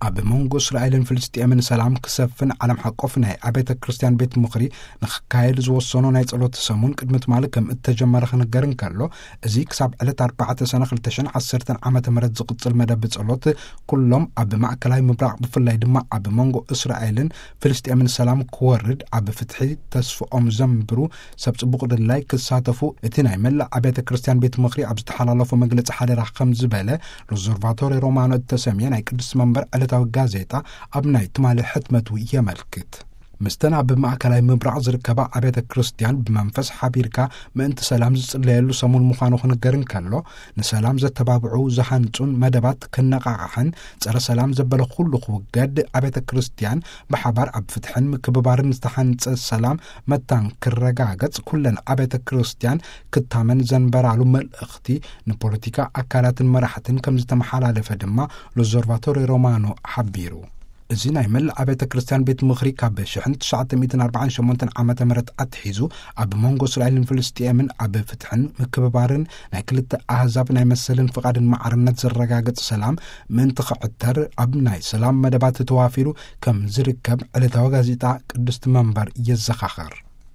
ኣብ መንጎ እስራኤልን ፍልስጤምን ሰላም ክሰፍን ዓለም ሓቆፍ ናይ ኣብያተ ክርስቲያን ቤት ምኽሪ ንክካየድ ዝወሰኖ ናይ ጸሎት ሰሙን ቅድሚ ትማሊ ከም እተጀመረ ክንገር እንከሎ፣ እዚ ክሳብ ዕለት ኣርባዕተ ሰነ ክልተ ሽሕን ዓሰርተን ዓመተ ምህረት ዝቕጽል መደብ ጸሎት፣ ኩሎም ኣብ ማእከላይ ምብራቕ ብፍላይ ድማ ኣብ መንጎ እስራኤልን ፍልስጤምን ሰላም ክወርድ፣ ኣብ ፍትሒ ተስፍኦም ዘንብሩ ሰብ ጽቡቕ ድላይ ክሳተፉ እቲ ናይ መላእ ኣብያተ ክርስቲያን ቤት ምኽሪ ኣብ ዝተሓላለፎ መግለጺ ሓደራ ከም ዝበለ፣ ሎዞርቫቶሪ ሮማኖ እተሰምየ ናይ ቅድስቲ መንበር ዕለታዊ ጋዜጣ ኣብ ናይ ትማሊ ሕትመቱ የመልክት። ምስተን ኣብ ማእከላይ ምብራቕ ዝርከባ ኣብያተ ክርስቲያን ብመንፈስ ሓቢርካ ምእንቲ ሰላም ዝጽለየሉ ሰሙን ምዃኑ ክንገር እንከሎ፣ ንሰላም ዘተባብዑ ዝሃንጹን መደባት ክነቓቓሕን ጸረ ሰላም ዘበለ ኩሉ ክውገድ፣ ኣብያተ ክርስቲያን ብሓባር ኣብ ፍትሕን ምክብባርን ዝተሓንጸ ሰላም መታን ክረጋገጽ ኩለን ኣብያተ ክርስቲያን ክታመን ዘንበራሉ መልእኽቲ ንፖለቲካ ኣካላትን መራሕትን ከም ዝተመሓላለፈ ድማ ሎዞርቫቶሪ ሮማኖ ሓቢሩ። እዚ ናይ መላእ ኣብያተ ክርስቲያን ቤት ምኽሪ ካብ ሽሕን ትሽዓተ ሚእትን ኣርባዓን ሸሞንተን ዓመተ ምህረት ኣትሒዙ ኣብ መንጎ እስራኤልን ፍልስጤምን ኣብ ፍትሕን ምክብባርን ናይ ክልተ ኣህዛብ ናይ መሰልን ፍቓድን ማዕርነት ዘረጋግጽ ሰላም ምእንቲ ክዕተር ኣብ ናይ ሰላም መደባት ተዋፊሩ ከም ዝርከብ ዕለታዊ ጋዜጣ ቅድስቲ መንበር የዘኻኸር።